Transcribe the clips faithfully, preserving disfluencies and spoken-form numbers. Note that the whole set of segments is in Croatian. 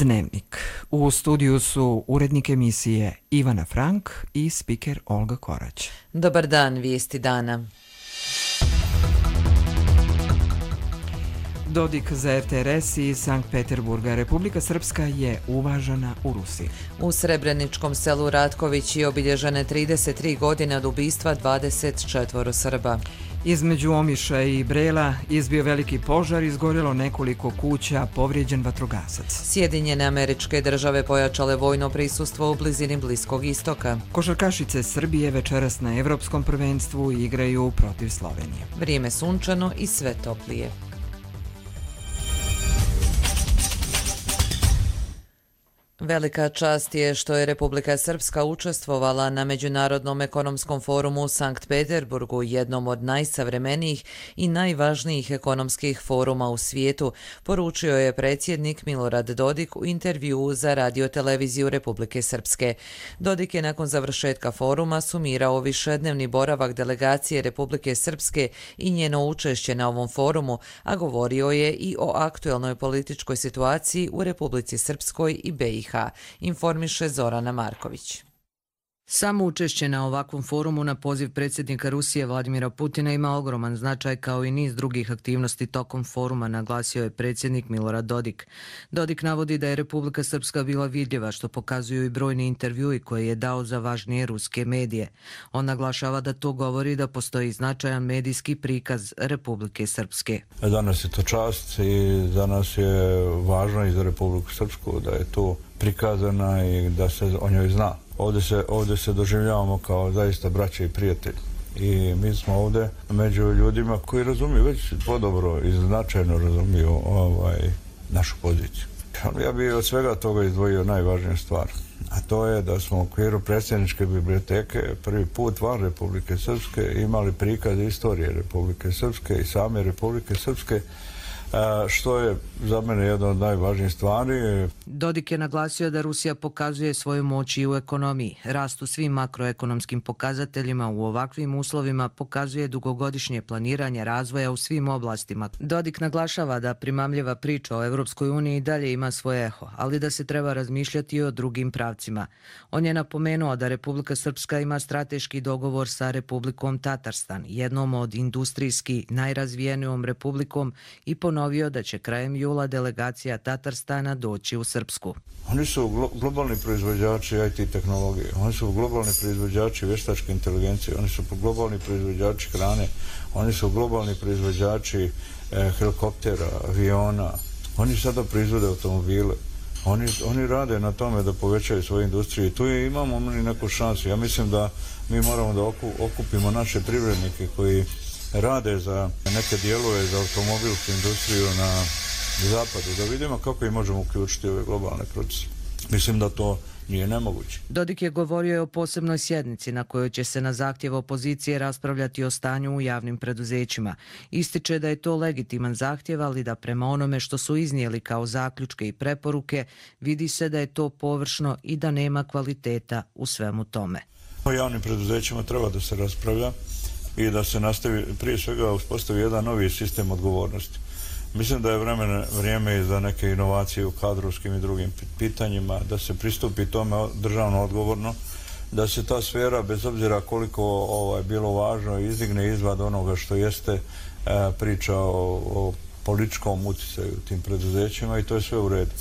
Dnevnik. U studiju su urednik emisije Ivana Frank i spiker Olga Korać. Dobar dan, vijesti dana. Dodik za er te er es iz Sankt Peterburga. Republika Srpska je uvažena u Rusiji. U srebreničkom selu Ratković je obilježene trideset tri godine od ubistva dvadeset četvoro Srba. Između Omiša i Brela izbio veliki požar, izgorjelo nekoliko kuća, povrijeđen vatrogasac. Sjedinjene Američke Države pojačale vojno prisustvo u blizini Bliskog istoka. Košarkašice Srbije večeras na Evropskom prvenstvu igraju protiv Slovenije. Vrijeme sunčano i sve toplije. Velika čast je što je Republika Srpska učestvovala na Međunarodnom ekonomskom forumu u Sankt Peterburgu, jednom od najsavremenijih i najvažnijih ekonomskih foruma u svijetu, poručio je predsjednik Milorad Dodik u intervjuu za radioteleviziju Republike Srpske. Dodik je nakon završetka foruma sumirao višednevni boravak delegacije Republike Srpske i njeno učešće na ovom forumu, a govorio je i o aktuelnoj političkoj situaciji u Republici Srpskoj i be i ha. Informiše Zorana Marković. Samo učešće na ovakvom forumu na poziv predsjednika Rusije Vladimira Putina ima ogroman značaj kao i niz drugih aktivnosti tokom foruma, naglasio je predsjednik Milorad Dodik. Dodik navodi da je Republika Srpska bila vidljiva, što pokazuju i brojni intervjui koje je dao za važnije ruske medije. On naglašava da to govori da postoji značajan medijski prikaz Republike Srpske. Danas je to čast i za nas je važno i za Republiku Srpsku da je to prikazana i da se o njoj zna. Ovdje se, ovdje se doživljavamo kao zaista braće i prijatelji. I mi smo ovdje među ljudima koji razumiju, već podobro i značajno razumiju ovaj, našu poziciju. Ja bih od svega toga izdvojio najvažniju stvar, a to je da smo u okviru predsjedničke biblioteke prvi put van Republike Srpske imali prikaz istorije Republike Srpske i same Republike Srpske, što je za mene jedna od najvažnijih stvari. Dodik je naglasio da Rusija pokazuje svoju moć i u ekonomiji. Rast u svim makroekonomskim pokazateljima u ovakvim uslovima pokazuje dugogodišnje planiranje razvoja u svim oblastima. Dodik naglašava da primamljiva priča o Evropskoj uniji dalje ima svoje eho, ali da se treba razmišljati i o drugim pravcima. On je napomenuo da Republika Srpska ima strateški dogovor sa Republikom Tatarstan, jednom od industrijski najrazvijenijom republikom, i ponovio da će krajem jula delegacija Tatarstana doći u Srpsku. Oni su glo globalni proizvođači i te tehnologije, oni su globalni proizvođači veštačke inteligencije, oni su globalni proizvođači hrane, oni su globalni proizvođači eh, helikoptera, aviona, oni sada proizvode automobile. Oni, oni rade na tome da povećaju svoju industriju i tu je, imamo neku šansu. Ja mislim da mi moramo da okupimo naše privrednike koji rade za neke dijelove za automobilsku industriju na zapadu, da vidimo kako ih možemo uključiti u ove globalne procese. Mislim da to nije nemoguće. Dodik je govorio o posebnoj sjednici na kojoj će se na zahtjev opozicije raspravljati o stanju u javnim preduzećima. Ističe da je to legitiman zahtjev, ali da prema onome što su iznijeli kao zaključke i preporuke, vidi se da je to površno i da nema kvaliteta u svemu tome. O javnim preduzećima treba da se raspravlja i da se nastavi, prije svega uspostavi jedan novi sistem odgovornosti. Mislim da je vremena, vrijeme i za neke inovacije u kadrovskim i drugim pitanjima, da se pristupi tome državno odgovorno, da se ta sfera, bez obzira koliko ovaj, bilo važno, izdigne izvad onoga što jeste e, priča o, o političkom utjecaju u tim preduzećima i to je sve u redu.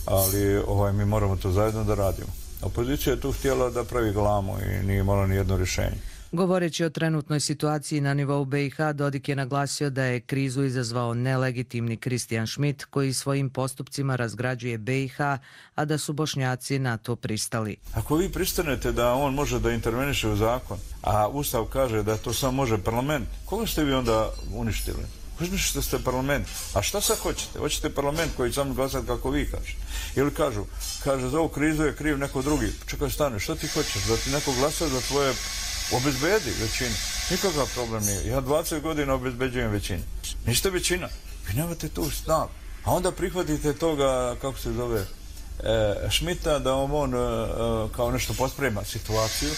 Ali ovaj, mi moramo to zajedno da radimo. Opozicija je tu htjela da pravi glamu i nije imala ni jedno rješenje. Govoreći o trenutnoj situaciji na nivou be i ha, Dodik je naglasio da je krizu izazvao nelegitimni Kristijan Schmidt koji svojim postupcima razgrađuje be i ha, a da su Bošnjaci na to pristali. Ako vi pristanete da on može da interveniše u zakon, a Ustav kaže da to samo može parlament, koga ste vi onda uništili? Uzmišljate što ste parlament. A šta sad hoćete? Hoćete parlament koji samo glasati kako vi kažete? Ili kažu, kaže za ovu krizu je kriv neko drugi. Čekaj, stane, što ti hoćeš? Da ti neko glasa za tvoje obezbedi većinu. Nikakav problem nije. Ja dvadeset godina obezbeđujem većinu. Niste većina. Vi nemate tu snagu. A onda prihvatite toga, kako se zove, e, Schmidta, da on e, kao nešto posprema situaciju,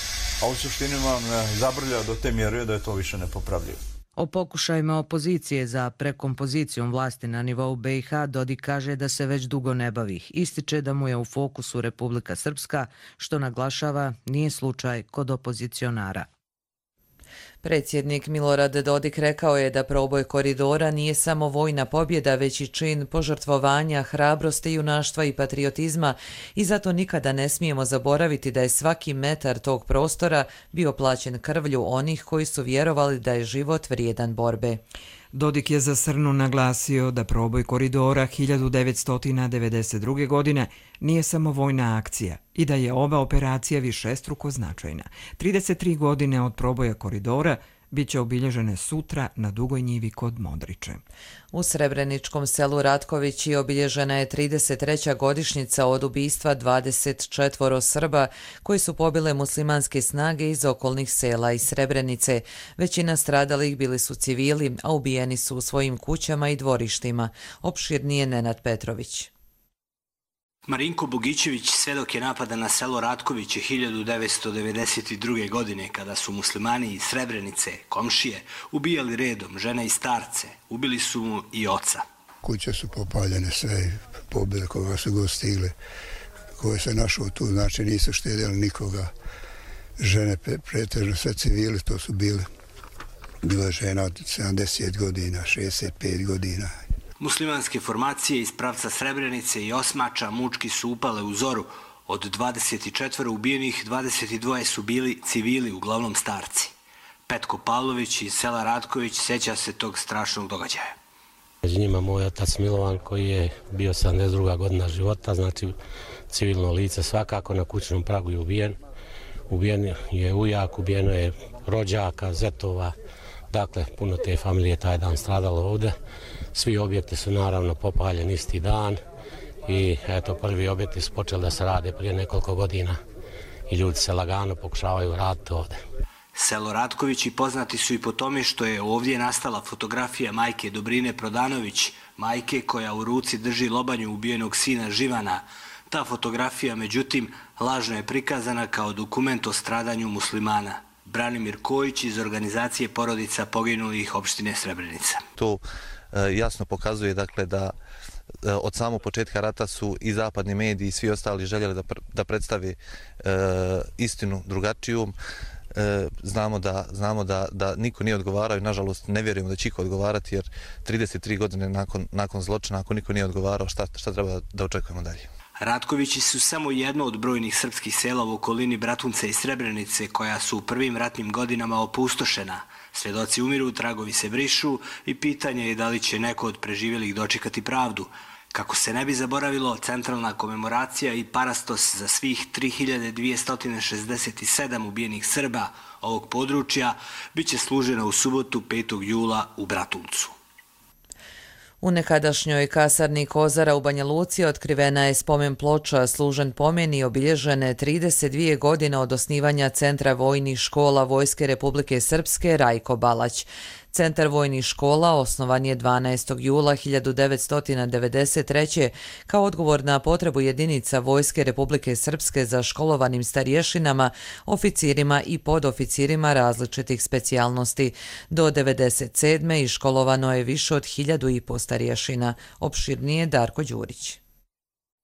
a u suštini vam e, zabrlja do te mjere da je to više nepopravljivo. O pokušajima opozicije za prekompozicijom vlasti na nivou B i H Dodik kaže da se već dugo ne bavi. Ističe da mu je u fokusu Republika Srpska, što naglašava nije slučaj kod opozicionara. Predsjednik Milorad Dodik rekao je da proboj koridora nije samo vojna pobjeda, već i čin požrtvovanja, hrabrosti, junaštva i patriotizma i zato nikada ne smijemo zaboraviti da je svaki metar tog prostora bio plaćen krvlju onih koji su vjerovali da je život vrijedan borbe. Dodik je za Srnu naglasio da proboj koridora hiljadu devetsto devedeset druge. godine nije samo vojna akcija i da je ova operacija višestruko značajna. trideset tri godine od proboja koridora bit će obilježene sutra na Dugoj njivi kod Modriče. U srebreničkom selu Ratkovići obilježena je trideset treća godišnjica od ubistva dvadeset četvoro Srba koji su pobile muslimanske snage iz okolnih sela i Srebrenice. Većina stradalih bili su civili, a ubijeni su u svojim kućama i dvorištima. Opširnije Nenad Petrović. Marinko Bogićević svedok je napada na selo Ratkoviće hiljadu devetsto devedeset druge. godine kada su muslimani iz Srebrenice, komšije, ubijali redom žene i starce. Ubili su mu i oca. Kuće su popaljene sve, pobili koga su go stigli. Koje se našao tu, znači nisu štedjeli nikoga. Žene pretežno sve civili, to su bili. Bila je žena od sedamdeset godina, šezdeset pet godina. Muslimanske formacije iz pravca Srebrenice i Osmača mučki su upale u zoru. Od dvadeset četiri ubijenih, dvadeset dva su bili civili, uglavnom starci. Petko Pavlović iz sela Ratković sjeća se tog strašnog događaja. Među njima moj otac Milovan koji je bio sedamdeset druga. godina života, znači civilno lice svakako, na kućnom pragu je ubijen. Ubijen je ujak, ubijeno je rođaka, zetova, dakle puno te familije taj dan stradalo ovdje. Svi objekti su naravno popaljeni isti dan i eto prvi objekti su počeli da se rade prije nekoliko godina i ljudi se lagano pokušavaju vratiti ovdje. Selo Ratkovići poznati su i po tome što je ovdje nastala fotografija majke Dobrine Prodanović, majke koja u ruci drži lobanju ubijenog sina Živana. Ta fotografija, međutim, lažno je prikazana kao dokument o stradanju muslimana. Branimir Kojić iz organizacije porodica poginulih opštine Srebrenica. To jasno pokazuje dakle da od samog početka rata su i zapadni mediji i svi ostali željeli da, da predstavi e, istinu drugačiju. E, znamo da, znamo da, da niko nije odgovarao i nažalost ne vjerujemo da će iko odgovarati jer trideset tri godine nakon, nakon zločina ako niko nije odgovarao šta, šta treba da očekujemo dalje. Ratkovići su samo jedno od brojnih srpskih sela u okolini Bratunca i Srebrenice koja su u prvim ratnim godinama opustošena. Svjedoci umiru, tragovi se brišu i pitanje je da li će neko od preživjelih dočekati pravdu. Kako se ne bi zaboravilo, centralna komemoracija i parastos za svih tri hiljade dvjesto šezdeset sedam ubijenih Srba ovog područja bit će služena u subotu petog jula u Bratuncu. U nekadašnjoj kasarni Kozara u Banja Luci otkrivena je spomen ploča služen pomeni obilježene trideset dvije godine od osnivanja Centra vojnih škola Vojske Republike Srpske Rajko Balać. Centar vojnih škola osnovan je dvanaestog jula hiljadu devetsto devedeset treće. kao odgovor na potrebu jedinica Vojske Republike Srpske za školovanim starješinama, oficirima i podoficirima različitih specijalnosti. Do devedeset sedme iškolovano je više od hiljadu i po starješina. Opširnije Darko Đurić.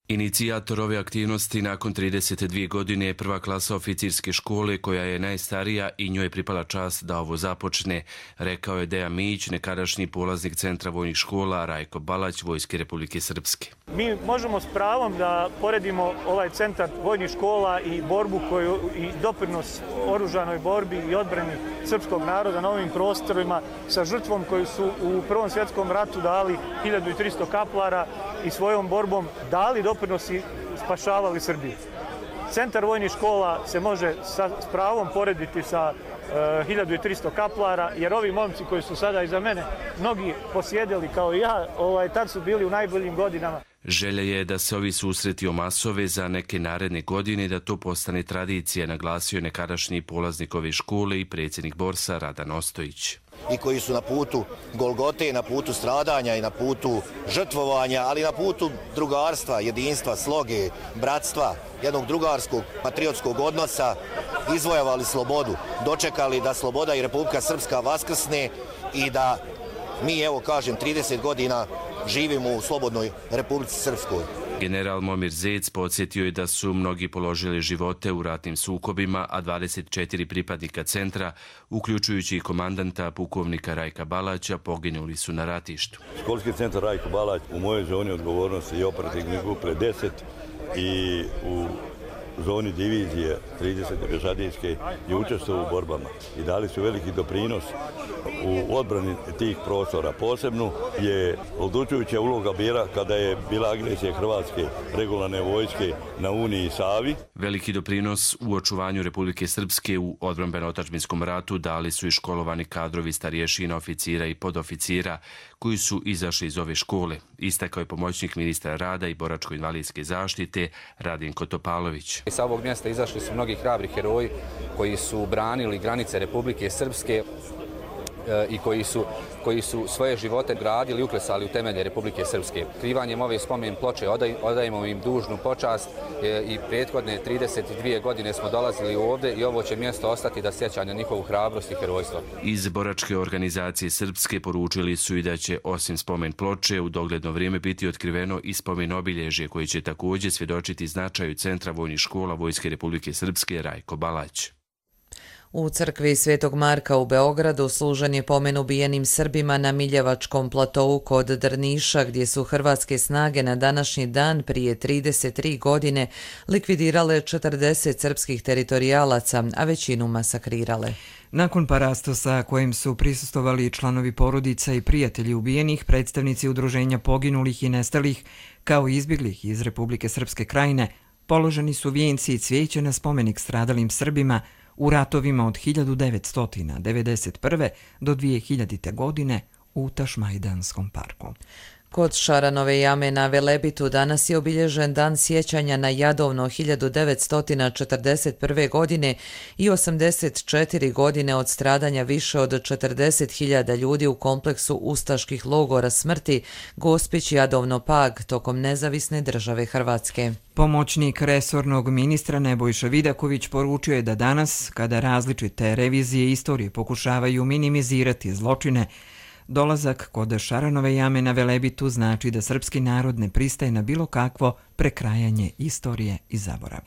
Inicijator ove aktivnosti nakon trideset dvije godine je prva klasa oficirske škole koja je najstarija i njoj je pripala čast da ovo započne, rekao je Dejan Mijić, nekadašnji polaznik Centra vojnih škola Rajko Balać Vojske Republike Srpske. Mi možemo s pravom da poredimo ovaj Centar vojnih škola i borbu koju i doprinos oružanoj borbi i odbrani srpskog naroda na ovim prostorima sa žrtvom koju su u Prvom svjetskom ratu dali hiljadu tristo kaplara i svojom borbom dali doprinosi spašavali Srbiju. Centar vojnih škola se može sa, s pravom porediti sa uh, hiljadu tristo kaplara, jer ovi momci koji su sada iza mene, mnogi posjedili kao i ja, ovaj, tad su bili u najboljim godinama. Želja je da se ovi susreti omasove za neke naredne godine i da to postane tradicija, naglasio je nekadašnji polaznik ove škole i predsjednik Borsa Radan Ostojić. I koji su na putu Golgote, na putu stradanja i na putu žrtvovanja, ali na putu drugarstva, jedinstva, sloge, bratstva, jednog drugarskog, patriotskog odnosa, izvojevali slobodu, dočekali da sloboda i Republika Srpska vaskrsne i da mi, evo kažem, trideset godina živimo u slobodnoj Republici Srpskoj. General Momir Zec podsjetio je da su mnogi položili živote u ratnim sukobima, a dvadeset četiri pripadnika centra, uključujući i komandanta pukovnika Rajka Balaća, poginuli su na ratištu. Školski centar Rajko Balać u mojoj zoni odgovornosti je operativni grupe deset i u zoni divizije tridesete pješadijske je učestvovao u borbama i dali su veliki doprinos u odbrani tih prostora. Posebno je odlučujuća uloga bila kada je bila agresija Hrvatske regularne vojske na Uniji i Savi. Veliki doprinos u očuvanju Republike Srpske u odbrambeno-otadžbinskom ratu dali su i školovani kadrovi starješina, oficira i podoficira koji su izašli iz ove škole. Istakao je pomoćnik ministra rada i boračko-invalidske zaštite Radinko Topalović. Sa ovog mjesta izašli su mnogi hrabri heroji koji su branili granice Republike Srpske i koji su, koji su svoje živote gradili i uklesali u temelje Republike Srpske. Krivanjem ove spomen ploče odaj, odajemo im dužnu počast i prethodne trideset dvije godine smo dolazili ovdje i ovo će mjesto ostati da sjeća na njihovu hrabrost i herojstvo. Iz boračke organizacije Srpske poručili su i da će osim spomen ploče u dogledno vrijeme biti otkriveno i spomen obilježje koji će također svjedočiti značaju Centra vojnih škola Vojske Republike Srpske Rajko Balać. U crkvi Svetog Marka u Beogradu služen je pomen ubijenim Srbima na Miljevačkom platovu kod Drniša, gdje su hrvatske snage na današnji dan prije trideset tri godine likvidirale četrdeset srpskih teritorijalaca, a većinu masakrirale. Nakon parastosa kojim su prisustovali članovi porodica i prijatelji ubijenih, predstavnici udruženja poginulih i nestalih, kao i izbjeglih iz Republike Srpske Krajine, položeni su vijenci i cvijeće na spomenik stradalim Srbima u ratovima od hiljadu devetsto devedeset prve do dvije hiljadite. godine u Tašmajdanskom parku. Kod Šaranove jame na Velebitu danas je obilježen dan sjećanja na Jadovno hiljadu devetsto četrdeset prve. godine i osamdeset četiri godine od stradanja više od četrdeset hiljada ljudi u kompleksu ustaških logora smrti Gospić Jadovno Pag tokom nezavisne države Hrvatske. Pomoćnik resornog ministra Nebojša Vidaković poručio je da danas, kada različite revizije istorije pokušavaju minimizirati zločine, dolazak kod Šaranove jame na Velebitu znači da srpski narod ne pristaje na bilo kakvo prekrajanje istorije i zaborav.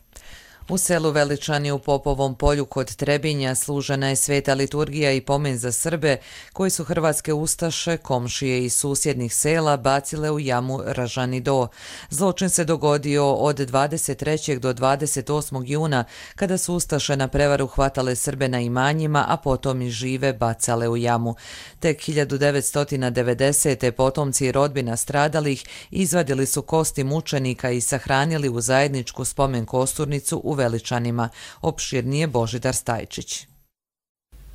U selu Veličani u Popovom polju kod Trebinja služena je sveta liturgija i pomen za Srbe koji su hrvatske ustaše, komšije iz susjednih sela bacile u jamu Ražani Do. Zločin se dogodio od dvadeset trećeg do dvadeset osmog juna kada su ustaše na prevaru hvatale Srbe na imanjima, a potom i žive bacale u jamu. Tek hiljadu devetsto devedesete. potomci i rodbina stradalih izvadili su kosti mučenika i sahranili u zajedničku spomen kosturnicu u Veličanima, opširnije Božidar Stajčić.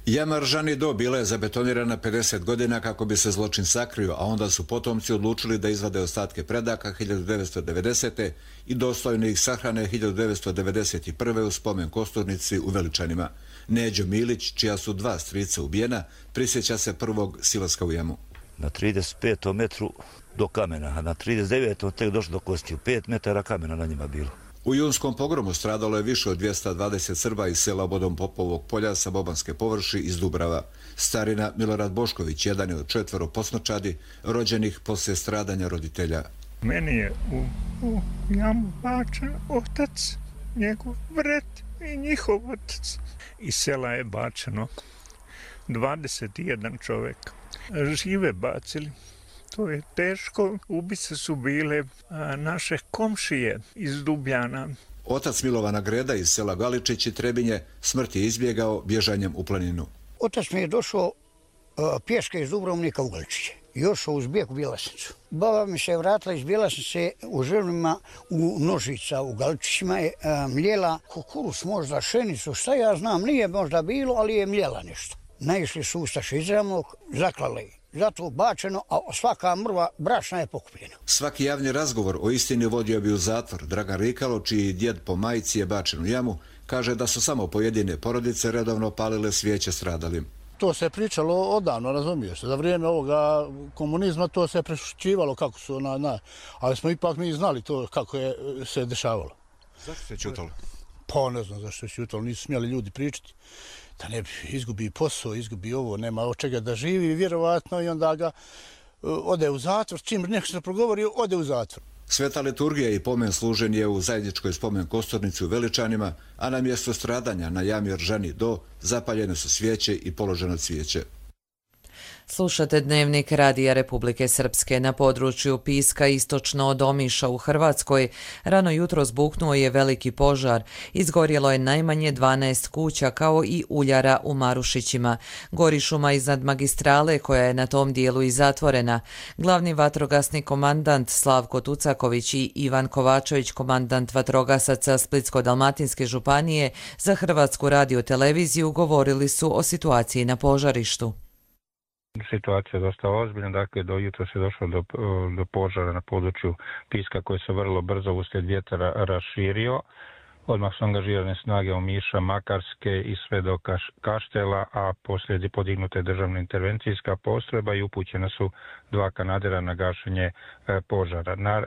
Jama Ražani Do bila je zabetonirana pedeset godina kako bi se zločin sakrio, a onda su potomci odlučili da izvade ostatke predaka hiljadu devetsto devedesete. i dostojno ih sahrane hiljadu devetsto devedeset prve. u spomen kosturnici u Veličanima. Neđo Milić, čija su dva strica ubijena, prisjeća se prvog silaska u jamu. Na trideset petom metru do kamena, a na trideset devetom tek došlo do kosti. pet metara kamena na njima bilo. U junskom pogromu stradalo je više od dvjesto dvadeset Srba iz sela Obodom Popovog polja sa Bobanske površi iz Dubrava. Starina Milorad Bošković, jedan je od četvero posnočadi, rođenih poslije stradanja roditelja. Meni je u, u jamu bačen otac, njegov brat i njihov otac. Iz sela je bačeno dvadeset jedan čovjek. Žive bacili. To je teško. Ubice su bile a, naše komšije iz Dubljana. Otac Milovana Greda iz sela Galičić i Trebinje smrt je izbjegao bježanjem u planinu. Otac mi je došao a, pješke iz Dubrovnika u Galičiće. Još uz bijeg u Bjelasnicu. Baba mi se vratila iz Bjelasnice u želima u Nožica u Galičićima je a, mljela kukuruz, možda šenicu, šta ja znam, nije možda bilo, ali je mljela nešto. Naišli su ustaše iz Ravnog, zaklali zato bačeno, a svaka mrva brašna je pokupljena. Svaki javni razgovor o istini vodio bi u zatvor. Dragan Rikalo, čiji djed po majici je bačen u jamu, kaže da su samo pojedine porodice redovno palile svijeće stradalim. To se pričalo odavno, razumiješ. Za vrijeme ovoga komunizma to se prešućivalo kako su, na, na, ali smo ipak mi znali to kako je se dešavalo. Zašto se ćutalo? Pa ne znam zašto se ćutalo, nisu smjeli ljudi pričati. Da ne bi izgubi posao, izgubi ovo, nema od čega da živi, vjerovatno, i onda ga uh, ode u zatvor. Čim neko se progovori, ode u zatvor. Sveta liturgija i pomen služen je u zajedničkoj spomen kosturnici u Veličanima, a na mjesto stradanja na jami Ržani do zapaljene su svijeće i položeno cvijeće. Slušate Dnevnik Radija Republike Srpske. Na području Piska istočno od Omiša u Hrvatskoj rano jutro zbuknuo je veliki požar. Izgorjelo je najmanje dvanaest kuća kao i uljara u Marušićima. Gori šuma iznad magistrale koja je na tom dijelu i zatvorena. Glavni vatrogasni komandant Slavko Tucaković i Ivan Kovačević, komandant vatrogasaca Splitsko-dalmatinske županije, za Hrvatsku radioteleviziju govorili su o situaciji na požarištu. Situacija je dosta ozbiljna, dakle do jutra se došlo do, do požara na području Piska koji se vrlo brzo uslijed vjetra raširio. Odmah su angažirane snage Omiša, Makarske i sve do Kaš, Kaštela, a poslije je podignuta državna intervencijska postrojba i upućena su dva kanadera na gašenje e, požara. Na, e,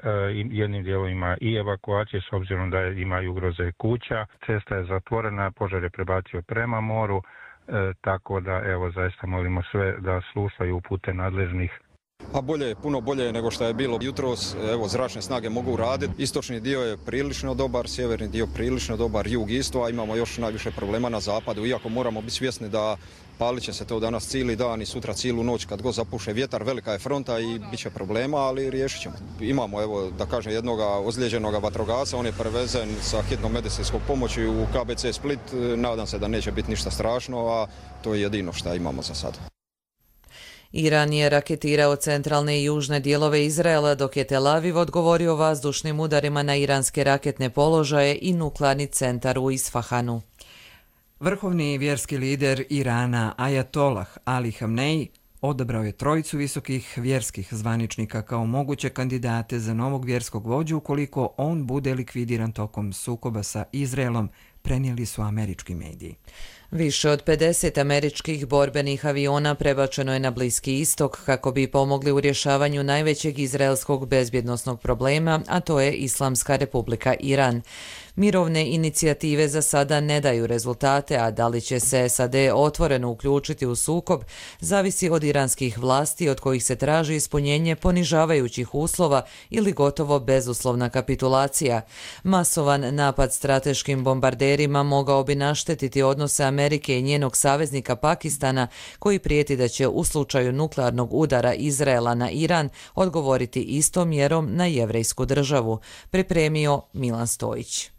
jednim dijelom ima i evakuacije s obzirom da ima i ugroze kuća. Cesta je zatvorena, požar je prebacio prema moru. E, tako da, evo, zaista molimo sve da slušaju upute nadležnih. A bolje je, puno bolje nego što je bilo jutros. Evo, zračne snage mogu raditi. Istočni dio je prilično dobar, sjeverni dio prilično dobar, jug isto, a imamo još najviše problema na zapadu. Iako moramo biti svjesni da palit će se to danas cijeli dan i sutra cijelu noć kad god zapuše vjetar, velika je fronta i bit će problema, ali riješit ćemo. Imamo, evo, da kažem, jednog ozlijeđenog vatrogasca, on je prevezen sa hitnom medicinskom pomoći u K B C Split. Nadam se da neće biti ništa strašno, a to je jedino što imamo za sad. Iran je raketirao centralne i južne dijelove Izraela, dok je Tel Aviv odgovorio vazdušnim udarima na iranske raketne položaje i nuklearni centar u Isfahanu. Vrhovni vjerski lider Irana Ajatolah Ali Hamnej odabrao je trojicu visokih vjerskih zvaničnika kao moguće kandidate za novog vjerskog vođu ukoliko on bude likvidiran tokom sukoba sa Izraelom, prenijeli su američki mediji. Više od pedeset američkih borbenih aviona prebačeno je na Bliski istok kako bi pomogli u rješavanju najvećeg izraelskog bezbjednosnog problema, a to je Islamska republika Iran. Mirovne inicijative za sada ne daju rezultate, a da li će se S A D otvoreno uključiti u sukob, zavisi od iranskih vlasti od kojih se traži ispunjenje ponižavajućih uslova ili gotovo bezuslovna kapitulacija. Masovan napad strateškim bombarderima mogao bi naštetiti odnose Amerike i njenog saveznika Pakistana, koji prijeti da će u slučaju nuklearnog udara Izraela na Iran odgovoriti istom mjerom na jevrejsku državu, pripremio Milan Stojić.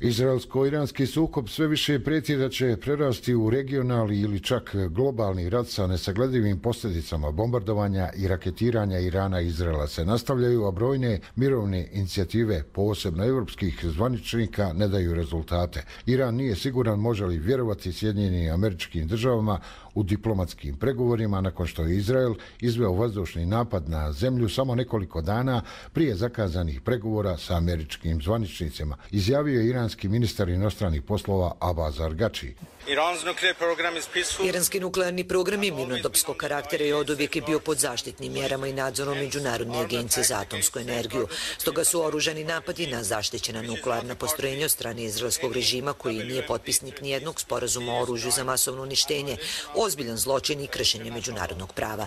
Izraelsko-iranski sukob sve više prijeti da će prerasti u regionalni ili čak globalni rat sa nesagledivim posljedicama. Bombardovanja i raketiranja Irana i Izraela se nastavljaju, a brojne mirovne inicijative, posebno evropskih zvaničnika, ne daju rezultate. Iran nije siguran može li vjerovati Sjedinjenim Američkim Državama u diplomatskim pregovorima nakon što je Izrael izveo vazdušni napad na zemlju samo nekoliko dana prije zakazanih pregovora sa američkim zvaničnicima, izjavio je iranski ministar inostranih poslova Abbas Argači. Iranski nuklearni program je mirnodopskog karaktera i oduvijek je bio pod zaštitnim mjerama i nadzorom Međunarodne agencije za atomsku energiju. Stoga su oružani napadi na zaštićena nuklearna postrojenja od strane izraelskog režima, koji nije potpisnik nijednog sporazuma o oružju za masovno uništenje, ozbiljan zločin i kršenje međunarodnog prava.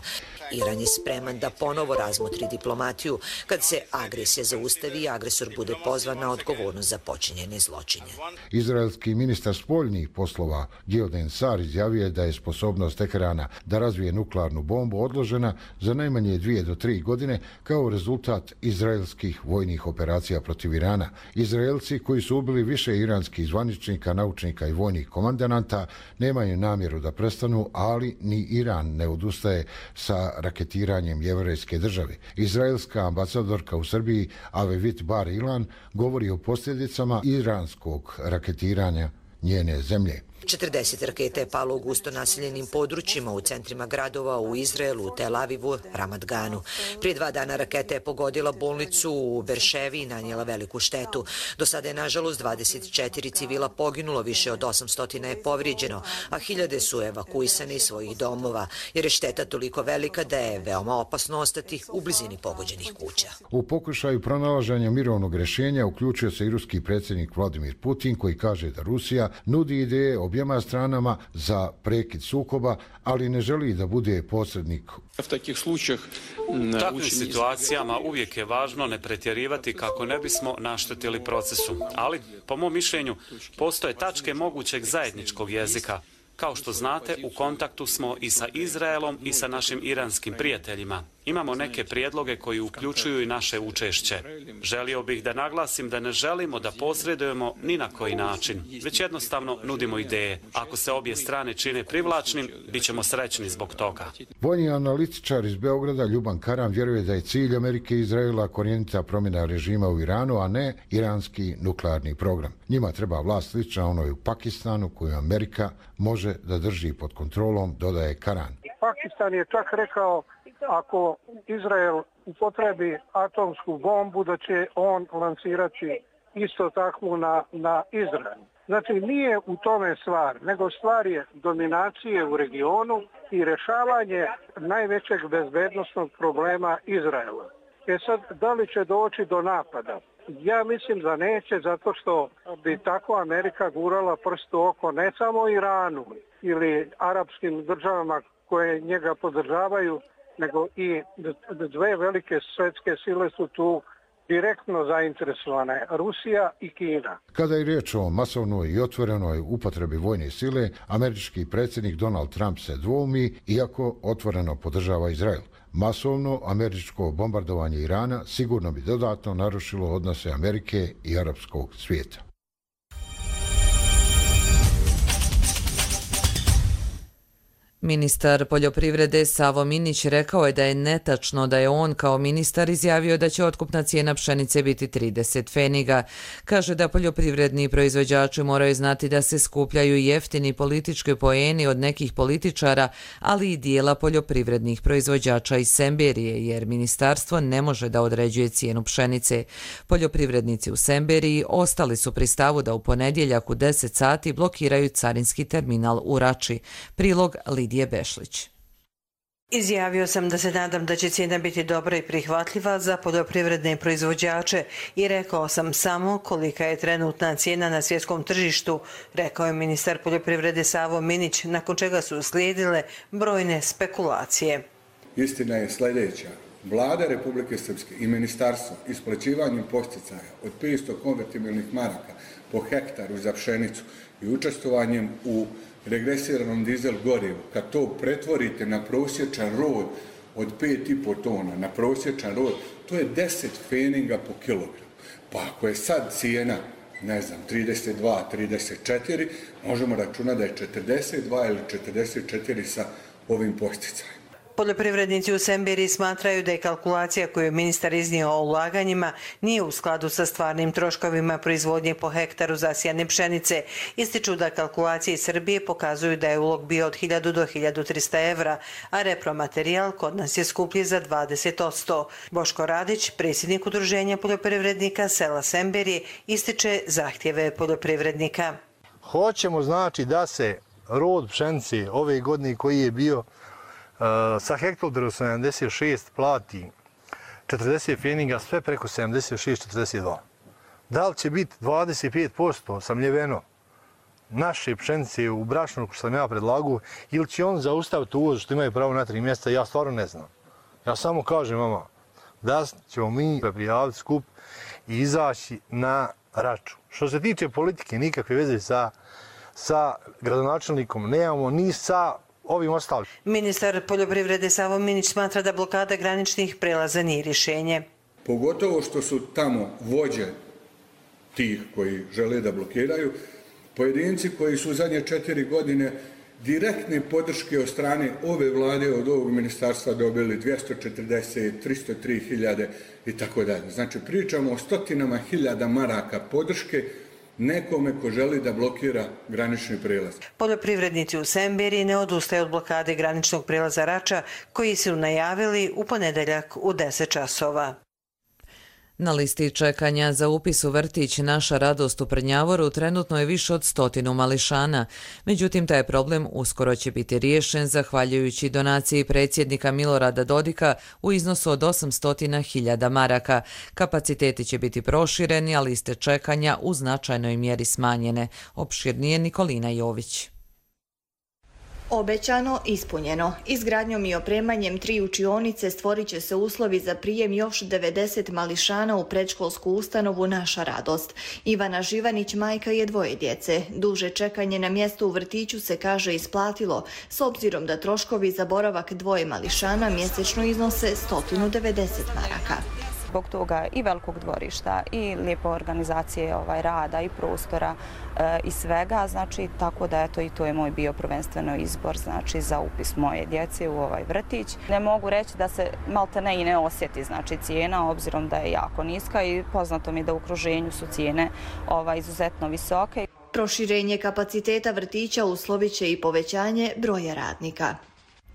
Iran je spreman da ponovo razmotri diplomatiju kad se agresija zaustavi i agresor bude pozvan na odgovornost za počinjene zločine. Izraelski ministar spoljnih poslova Gideon Sar izjavio je da je sposobnost Teherana da razvije nuklearnu bombu odložena za najmanje dvije do tri godine kao rezultat izraelskih vojnih operacija protiv Irana. Izraelci, koji su ubili više iranskih zvaničnika, naučnika i vojnih komandanata, nemaju namjeru da prestanu, ali ni Iran ne odustaje sa raketiranjem jevrejske države. Izraelska ambasadorka u Srbiji Avivit Bar Ilan govori o posljedicama iranskog raketiranja njene zemlje. četrdeset raketa je palo u gusto naseljenim područjima u centrima gradova u Izraelu, Tel Avivu, Ramat Ganu. Prije dva dana raketa je pogodila bolnicu u Berševi i nanijela veliku štetu. Do sada je nažalost dvadeset četiri civila poginulo, više od osamsto je povrijeđeno, a hiljade su evakuisane iz svojih domova, jer je šteta toliko velika da je veoma opasno ostati u blizini pogođenih kuća. U pokušaju pronalaženja mirovnog rješenja uključio se i ruski predsjednik Vladimir Putin, koji kaže da Rusija nudi ideje objema stranama za prekid sukoba, ali ne želi da bude posrednik. U takvim situacijama uvijek je važno ne pretjerivati kako ne bismo naštetili procesu, ali, po mom mišljenju, postoje tačke mogućeg zajedničkog jezika. Kao što znate, u kontaktu smo i sa Izraelom i sa našim iranskim prijateljima. Imamo neke prijedloge koji uključuju i naše učešće. Želio bih da naglasim da ne želimo da posredujemo ni na koji način, već jednostavno nudimo ideje. Ako se obje strane čine privlačnim, bit ćemo srećni zbog toga. Vojni analitičar iz Beograda Ljuban Karam vjeruje da je cilj Amerike i Izraela korijenita promjena režima u Iranu, a ne iranski nuklearni program. Njima treba vlast slična onoj u Pakistanu koju Amerika može da drži pod kontrolom, dodaje Karan. Pakistan je čak rekao ako Izrael upotrebi atomsku bombu da će on lansirati isto takvu na, na Izrael. Znači nije u tome stvar, nego stvar je dominacije u regionu i rješavanje najvećeg bezbednosnog problema Izraela. E sad, da li će doći do napada? Ja mislim da neće, zato što bi tako Amerika gurala prst u oko ne samo Iranu ili arapskim državama koje njega podržavaju, nego i dve velike svjetske sile su tu direktno zainteresovane, Rusija i Kina. Kada je riječ o masovnoj i otvorenoj upotrebi vojne sile, američki predsjednik Donald Trump se dvoumi, iako otvoreno podržava Izrael. Masovno američko bombardovanje Irana sigurno bi dodatno narušilo odnose Amerike i arapskog svijeta. Ministar poljoprivrede Savo Minić rekao je da je netačno da je on kao ministar izjavio da će otkupna cijena pšenice biti trideset pfeniga. Kaže da poljoprivredni proizvođači moraju znati da se skupljaju jeftini politički poeni od nekih političara, ali i dijela poljoprivrednih proizvođača iz Semberije, jer ministarstvo ne može da određuje cijenu pšenice. Poljoprivrednici u Semberiji ostali su pri stavu da u ponedjeljak u deset sati blokiraju carinski terminal u Rači. Prilog Lidije Bešlić. Izjavio sam da se nadam da će cijena biti dobra i prihvatljiva za poljoprivredne proizvođače i rekao sam samo kolika je trenutna cijena na svjetskom tržištu, rekao je ministar poljoprivrede Savo Minić, nakon čega su slijedile brojne spekulacije. Istina je sljedeća. Vlada Republike Srpske i ministarstvo isplaćivanjem posticaja od petsto konvertibilnih maraka po hektaru za pšenicu i učestvovanjem u regresiranom dizel gorivu, kad to pretvorite na prosječan rod od pet i po tona, na prosječan rod, to je deset pfeniga po kilogramu. Pa ako je sad cijena, ne znam, trideset dva, trideset četiri, možemo računati da je četrdeset dva ili četrdeset četiri sa ovim posticajem. Poljoprivrednici u Semberiji smatraju da je kalkulacija koju je ministar iznio o ulaganjima nije u skladu sa stvarnim troškovima proizvodnje po hektaru zasijane pšenice. Ističu da kalkulacije iz Srbije pokazuju da je ulog bio od hiljadu do hiljadu trista evra, a repromaterijal kod nas je skuplji za dvadeset posto. Boško Radić, predsjednik Udruženja poljoprivrednika sela Semberije, ističe zahtjeve poljoprivrednika. Hoćemo znači da se rod pšenice ove godine koji je bio sa hektolitru sedamdeset šest plati četrdeset pfeniga, sve preko sedamdeset šest četrdeset dva. Da li će biti dvadeset pet posto samljeveno naše pšenice u brašnu što sam ja predlagao ili će on zaustaviti uvoz što imaju pravo na tri mjesta, ja stvarno ne znam. Ja samo kažem vama da ćemo mi prijaviti skup i izaći na Raču. Što se tiče politike, nikakve veze sa, sa gradonačelnikom nemamo, ni sa ovim ostalim. Ministar poljoprivrede Savo Minić smatra da blokada graničnih prelaza nije rješenje. Pogotovo što su tamo vođe tih koji žele da blokiraju, pojedinci koji su u zadnje četiri godine direktne podrške od strane ove vlade, od ovog ministarstva dobili dvjesto četrdeset, tristo tri hiljade i tako dalje. Znači pričamo o stotinama hiljada maraka podrške nekome ko želi da blokira granični prijelaz. Poljoprivrednici u Semberiji ne odustaju od blokade graničnog prijelaza Rača, koji su najavili u ponedeljak u deset časova. Na listi čekanja za upis u vrtić Naša radost u Prnjavoru trenutno je više od stotinu mališana. Međutim, taj problem uskoro će biti riješen zahvaljujući donaciji predsjednika Milorada Dodika u iznosu od osamsto hiljada maraka. Kapaciteti će biti prošireni, a liste čekanja u značajnoj mjeri smanjene. Opširnije Nikolina Jović. Obećano, ispunjeno. Izgradnjom i opremanjem tri učionice stvorit će se uslovi za prijem još devedeset mališana u predškolsku ustanovu Naša radost. Ivana Živanić majka je dvoje djece. Duže čekanje na mjestu u vrtiću se, kaže, isplatilo, s obzirom da troškovi za boravak dvoje mališana mjesečno iznose sto devedeset maraka. Zbog toga i velikog dvorišta i lijepe organizacije ovaj, rada i prostora e, i svega, znači tako da eto i to je moj bio prvenstveno izbor, znači za upis moje djece u ovaj vrtić. Ne mogu reći da se malte ne i ne osjeti, znači cijena, obzirom da je jako niska i poznato mi da u okruženju su cijene ovaj, izuzetno visoke. Proširenje kapaciteta vrtića uslovit će i povećanje broja radnika.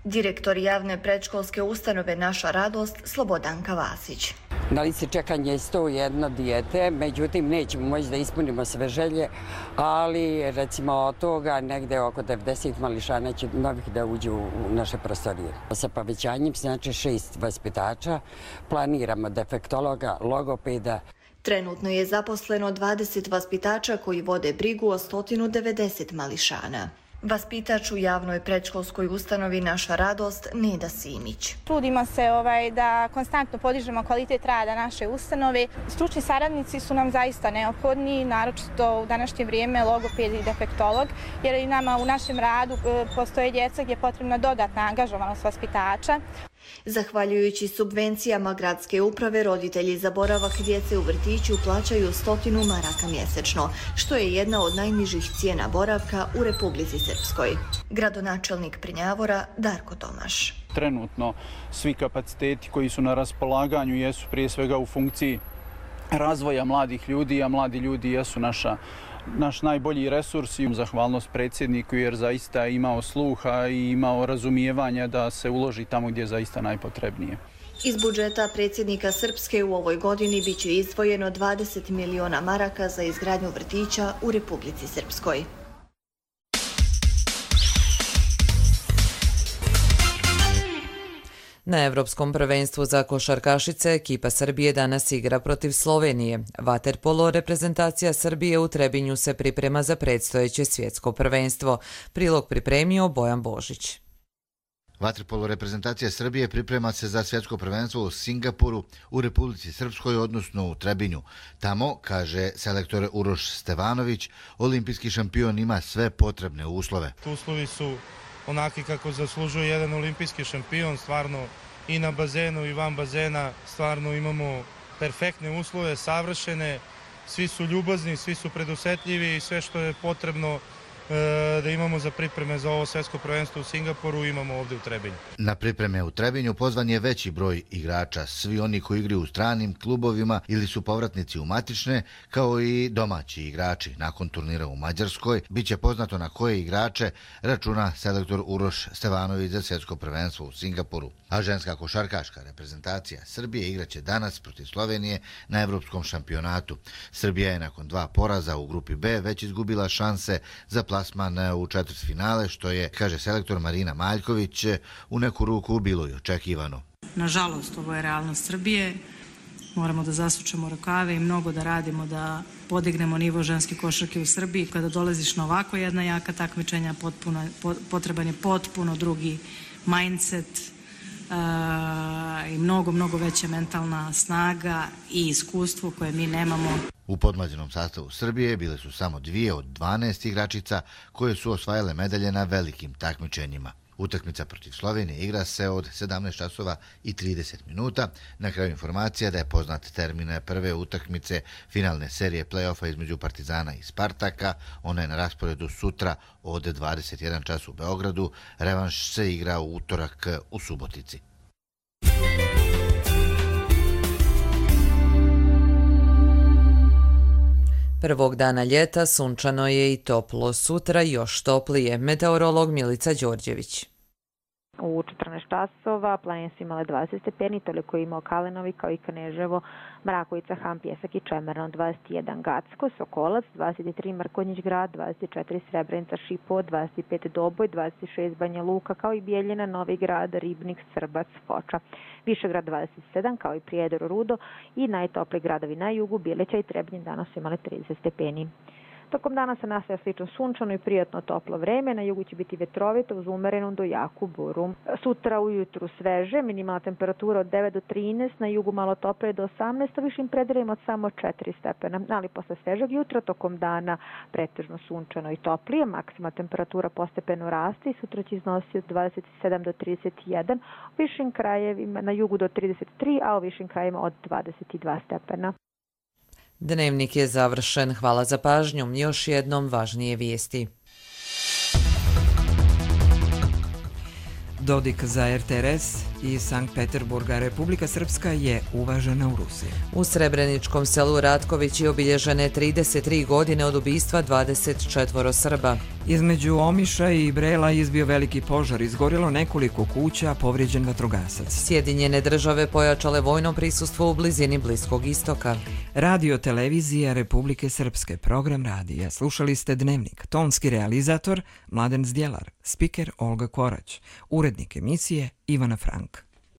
Direktor javne predškolske ustanove Naša radost Slobodanka Vasić. Na listi čekanja je sto jedno dijete, međutim nećemo moći da ispunimo sve želje, ali recimo od toga negde oko devedeset mališana će novih da uđu u naše prostorije. Sa povećanjem znači šest vaspitača, planiramo defektologa, logopeda. Trenutno je zaposleno dvadeset vaspitača koji vode brigu o sto devedeset mališana. Vaspitač u javnoj predškolskoj ustanovi Naša radost Neda Simić. Trudimo se ovaj, da konstantno podižemo kvalitet rada naše ustanove. Stručni saradnici su nam zaista neophodni, naročito u današnje vrijeme logoped i defektolog, jer i nama u našem radu postoje djeca gdje je potrebna dodatna angažovanost vaspitača. Zahvaljujući subvencijama gradske uprave, roditelji za boravak djece u vrtiću plaćaju stotinu maraka mjesečno, što je jedna od najnižih cijena boravka u Republici Srpskoj. Gradonačelnik Prnjavora Darko Tomaš. Trenutno svi kapaciteti koji su na raspolaganju jesu prije svega u funkciji razvoja mladih ljudi, a mladi ljudi jesu naša naš najbolji resurs i zahvalnost predsjedniku jer zaista je imao sluha i imao razumijevanja da se uloži tamo gdje je zaista najpotrebnije. Iz budžeta predsjednika Srpske u ovoj godini biće izdvojeno dvadeset miliona maraka za izgradnju vrtića u Republici Srpskoj. Na Evropskom prvenstvu za košarkašice ekipa Srbije danas igra protiv Slovenije. Vaterpolo reprezentacija Srbije u Trebinju se priprema za predstojeće svjetsko prvenstvo. Prilog pripremio Bojan Božić. Vaterpolo reprezentacija Srbije priprema se za svjetsko prvenstvo u Singapuru, u Republici Srpskoj, odnosno u Trebinju. Tamo, kaže selektor Uroš Stevanović, olimpijski šampion ima sve potrebne uslove. Uslovi su onaki kako zaslužuje jedan olimpijski šampion, stvarno i na bazenu i van bazena, stvarno imamo perfektne uslove, savršene, svi su ljubazni, svi su predusetljivi i sve što je potrebno da imamo za pripreme za ovo svjetsko prvenstvo u Singapuru imamo ovdje u Trebinju. Na pripreme u Trebinju pozvan je veći broj igrača, svi oni koji igraju u stranim klubovima ili su povratnici u matične, kao i domaći igrači. Nakon turnira u Mađarskoj biće poznato na koje igrače računa selektor Uroš Stevanović za svjetsko prvenstvo u Singapuru. A ženska košarkaška reprezentacija Srbije igraće danas protiv Slovenije na Evropskom šampionatu. Srbija je nakon dva poraza u grupi B već izgubila šanse za plasman u četvrtfinale, što je, kaže selektor Marina Maljković, u neku ruku bilo i očekivano. Nažalost, ovo je realnost Srbije. Moramo da zasučemo rukave i mnogo da radimo da podignemo nivo ženske košarke u Srbiji. Kada dolaziš na ovako jedna jaka takmičenja, potpuno, potreban je potpuno drugi mindset uh, i mnogo, mnogo veća mentalna snaga i iskustvo koje mi nemamo. U podmlađenom sastavu Srbije bile su samo dvije od dvanaest igračica koje su osvajale medalje na velikim takmičenjima. Utakmica protiv Slovenije igra se od sedamnaest časova i trideset minuta. Na kraju informacija da je poznat termin prve utakmice finalne serije play-offa između Partizana i Spartaka. Ona je na rasporedu sutra od dvadeset jedan čas u Beogradu. Revanš se igra u utorak u Subotici. Prvog dana ljeta sunčano je i toplo, sutra još toplije. Meteorolog Milica Đorđević. U četrnaest časova planine su imale dvadeset stepeni, toliko je imao Kalenovi kao i Kaneževo, Mrakovica, Han, Pjesak i Čemerno, dvadeset jedan Gacko, Sokolac, dvadeset tri Mrkonjić grad, dvadeset četiri Srebrenica, Šipovo, dvadeset pet Doboj, dvadeset šest Banja Luka, kao i Bijeljina, Novi Grad, Ribnik, Srbac, Foča. Višegrad dvadeset sedam, kao i Prijedor, Rudo i najtopliji gradovi na jugu, Bjelića i Trebnje danas su imali trideset stepeni. Tokom dana se nastaje slično sunčano i prijatno toplo vreme, na jugu će biti vetrovito uz umerenu do jaku buru. Sutra ujutru sveže, minimalna temperatura od devet do trinaest, na jugu malo toplije do osamnaest, a višim predelima od samo četiri stepena. Ali posle svežeg jutra tokom dana pretežno sunčano i toplije, maksimalna temperatura postepeno raste i sutra će iznositi od dvadeset sedam do trideset jedan, u višim krajevima na jugu do trideset tri, a u višim krajevima od dvadeset dva stepena. Dnevnik je završen. Hvala za pažnju. Još jednom važnije vijesti. Dodik za er te er es iz Sankt Peterburga. Republika Srpska je uvažena u Rusiji. U Srebreničkom selu Ratković je obilježene trideset tri godine od ubistva dvadeset četvoro Srba. Između Omiša i Brela izbio veliki požar, izgorilo nekoliko kuća, povrijeđen vatrogasac. Sjedinjene države pojačale vojno prisustvo u blizini Bliskog istoka. Radio televizija Republike Srpske, program radija. Slušali ste Dnevnik. Tonski realizator Mladen Zdjelar, spiker Olga Korać, urednik emisije Ivana Frank.